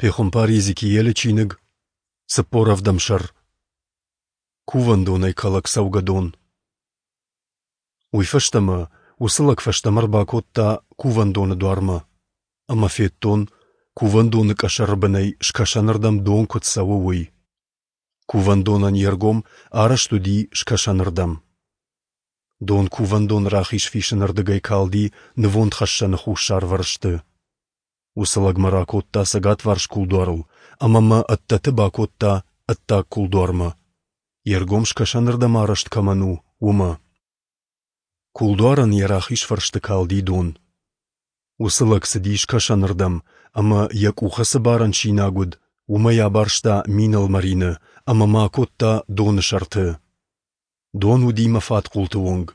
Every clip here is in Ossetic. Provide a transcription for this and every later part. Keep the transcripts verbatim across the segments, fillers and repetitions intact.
Пехуымпар Йезекиелы чиныг, цыппор ӕвдӕм сӕр. Кувӕндонӕй кӕлӕг цӕугӕдон. Уый фӕстӕ мӕ уыцы лӕг фӕстӕмӕ ӕрбакодта кувӕндоны дуармӕ, ӕмӕ федтон, кувӕндоны къӕсӕры бынӕй скӕсӕнырдӕм дон куыд цӕуы, уый. Кувӕндонӕн йе ргом арӕзт уыди скӕсӕнырдӕм. Дон кувӕндоны рахиз фисынырдыгӕй калди нывондхӕссӕны хуссарвӕрсты. Уыцы лӕг мӕ ракодта цӕгатварс кулдуарыл ӕмӕ мӕ ӕддӕты бакодта ӕддаг кулдуармӕ, йе ргом скӕсӕнырдӕм арӕзт кӕмӕн у, уымӕ. Кулдуарӕн йӕ рахиз фӕрсты калди дон. Уыцы лӕг цыди скӕсӕнырдӕм ӕмӕ, йӕ къухы цы барӕн синаг уыд, уымӕй абарста мин ӕлмӕрины ӕмӕ мӕ акодта доны сӕрты. Дон уыди мӕ фадхъулты онг.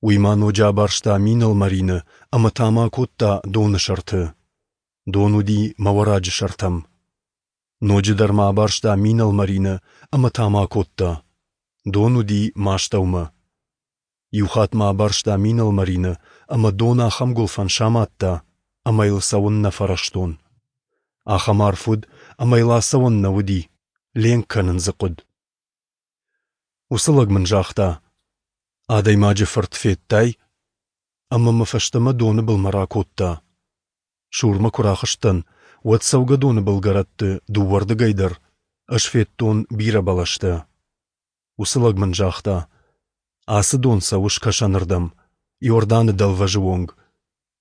Уый ма ноджы абарста мин ӕлмӕрины ӕмӕ та мӕ акодта доны сӕрты. Дон уыди мӕ уӕраджы сӕртӕм. Ноджыдӕр ма абарста мин ӕлмӕрины ӕмӕ та мӕ акодта. Дон уыди мӕ астӕумӕ. Иу хатт ма абарста мин ӕлмӕрины ӕмӕ дон ахӕм гуылфӕн самадта, ӕмӕ йыл цӕуын нӕ фӕрӕзтон. Ахӕм арф уыд, ӕмӕ йыл ацӕуӕн нӕ уыди, ленк кӕнын дзы хъуыд. Уыцы лӕг мын загъта: «Адӕймаджы фырт, федтай?» Ӕмӕ мӕ фӕстӕмӕ доны былмӕ ракодта. Сурмӕ куы рахызтӕн, уӕд цӕугӕдоны былгӕрӕтты дыууӕрдыгӕй дӕр ӕз федтон бирӕ бӕлӕстӕ. Уыцы лӕг мын загъта: «Ацы дон цӕуы скӕсӕнырдӕм, Иорданы дӕлвӕзы онг.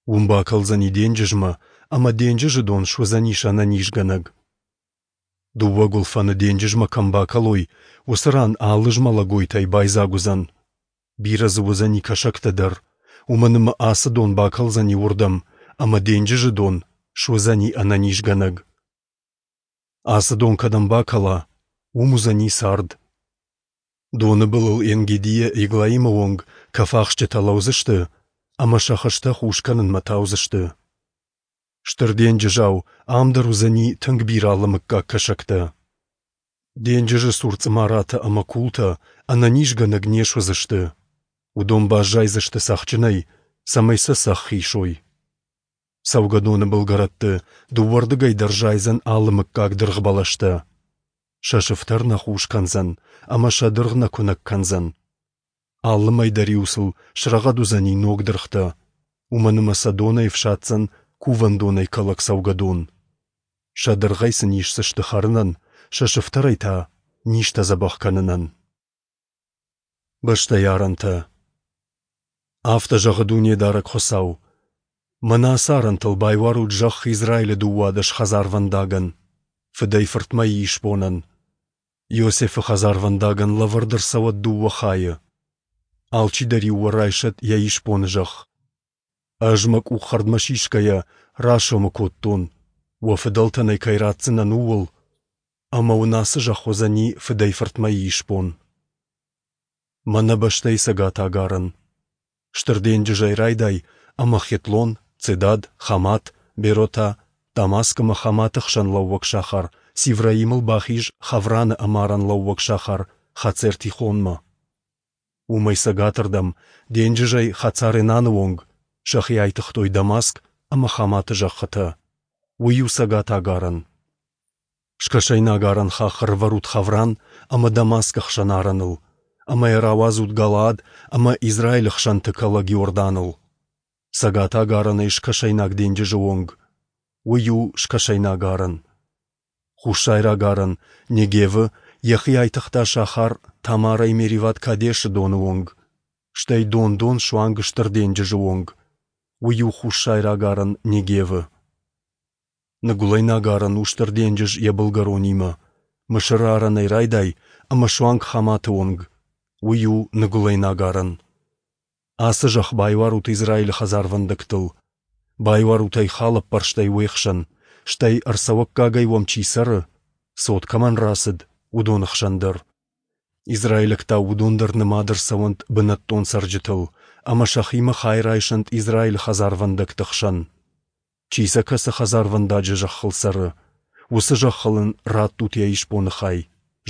Уым бакӕлдзӕни денджызмӕ, ӕмӕ денджызы дон суыдзӕнис ӕнӕнизгӕнӕг. Дыууӕ гуылфӕны денджызмӕ кӕм бакӕлой, уыцы ран алы змӕлӕгойтӕй байдзаг уыдзӕн. Бирӕ дзы уыдзӕни кӕсӕгтӕ дӕр, уымӕн ӕмӕ ацы дон бакӕлдзӕни уырдӕм, ӕмӕ денджызы дон суыдзӕни ӕнӕнизгӕнӕг. Ацы дон кӕдӕм бакӕла, уым уыдзӕни цард. Доны былыл Ен-Гедийӕ Эглаимы онг кӕфахсджытӕ лӕудзысты ӕмӕ сӕ хызтӕ хус кӕнынмӕ таудзысты. Стыр денджызау ам дӕр уыдзӕни тынг бирӕ алы мыггаг кӕсӕгтӕ. Денджызы цур цъымаратӕ ӕмӕ култӕ ӕнӕнизгӕнӕг не суыдзысты. Уыдон баззайдзысты цӕхджынӕй, цӕмӕй сӕ цӕхх исой. Цӕугӕдоны былгӕрӕтты дыууӕрдыгӕй дӕр зайдзӕн алы мыггаг дыргъбӕлӕстӕ. Сӕ сыфтӕр нӕ хус кӕндзӕн ӕмӕ сӕ дыргъ нӕ куынӕг кӕндзӕн. Алы мӕй дӕр-иу сыл срӕгъӕд уыдзӕни ног дыргътӕ, уымӕн ӕмӕ сӕ донӕй ӕфсаддзӕн кувӕндонӕй кӕлӕг цӕугӕдон. Сӕ дыргъӕй сын исдзысты хӕрынӕн, сӕ сыфтӕрӕй та низтӕ дзӕбӕх кӕнынӕн. Бӕстӕйы арӕнтӕ. Афтӕ зӕгъы Дунедарӕг Хуыцау: Мӕнӕ ацы арӕнтыл байуарут зӕхх Израилы дыууадӕс хӕдзарвӕндагӕн, фыдӕй-фыртмӕйы исбонӕн. Иосифы хӕдзарвӕндагӕн лӕвӕрд ӕрцӕуӕд дыууӕ хайы. Алчидӕр-иу уӕ райсӕд йӕ исбоны зӕхх. Ӕз мӕ къух хӕрдмӕ сисгӕйӕ расомы кодтон, уӕ фыдӕлтӕн ӕй кӕй ратдзынӕн, ууыл, ӕмӕ уын ацы зӕхх уыдзӕни фыдӕй-фыртмӕйы исбон. Мӕнӕ бӕстӕйы цӕгатаг арӕн. Стыр денджызӕй райдай ӕмӕ Хетлон, Цедад, Хамат, Беротӕ, Дамаск ӕмӕ Хаматы хсӕн лӕууӕг сахар Сивраимыл бахиз Хавраны ӕмарӕн лӕууӕг сахар Хацер-Тихонмӕ. Уымӕй цӕгатырдӕм, денджызӕй Хацар-Энаны онг, сӕхи айтыгътой Дамаск ӕмӕ Хаматы зӕххытӕ. Уый у цӕгатаг арӕн. Скӕсӕйнаг арӕн хахх ӕрӕвӕрут Хавран ӕмӕ Дамаскы хсӕн арӕныл, ӕмӕ йӕ рауадзут Галаад ӕмӕ Израилы хсӕнты кӕлӕг Иорданыл. Цӕгатаг арӕнӕй скӕсӕйнаг денджызы онг. Уый у скӕсӕйнаг арӕн. Хуссайраг арӕн, Негевы, йӕхи айтыгъта сахар Тамарӕй Мериват-Кадешы доны онг, стӕй дон-дон суанг Стыр денджызы онг. Уый у хуссайраг арӕн Негевы. Ныгуылӕйнаг арӕн у Стыр денджыз йӕ былгӕронимӕ, Мысыры арӕнӕй райдай ӕмӕ суанг Хаматы онг. Уый у ныгуылӕйнаг арӕн. Ацы зӕхх байуарут Израилы хӕдзарвӕндӕгтыл. Байуарут ӕй халӕппӕрстӕй уе хсӕн, стӕй ӕрцӕуӕггагӕй уӕм чи цӕры, цот кӕмӕн рацыд, уыдоны хсӕн дӕр. Израилӕгтау уыдон дӕр нымад ӕрцӕуӕнт бынӕттон цӕрджытыл ӕмӕ сӕхимӕ хай райсӕнт Израилы хӕдзарвӕндӕгты хсӕн. Чи сӕ кӕцы хӕдзарвӕндаджы зӕххыл цӕры, уыцы зӕххыл ын раттут йӕ исбоны хай,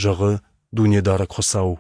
зӕгъы Дунедарӕг Хуыцау.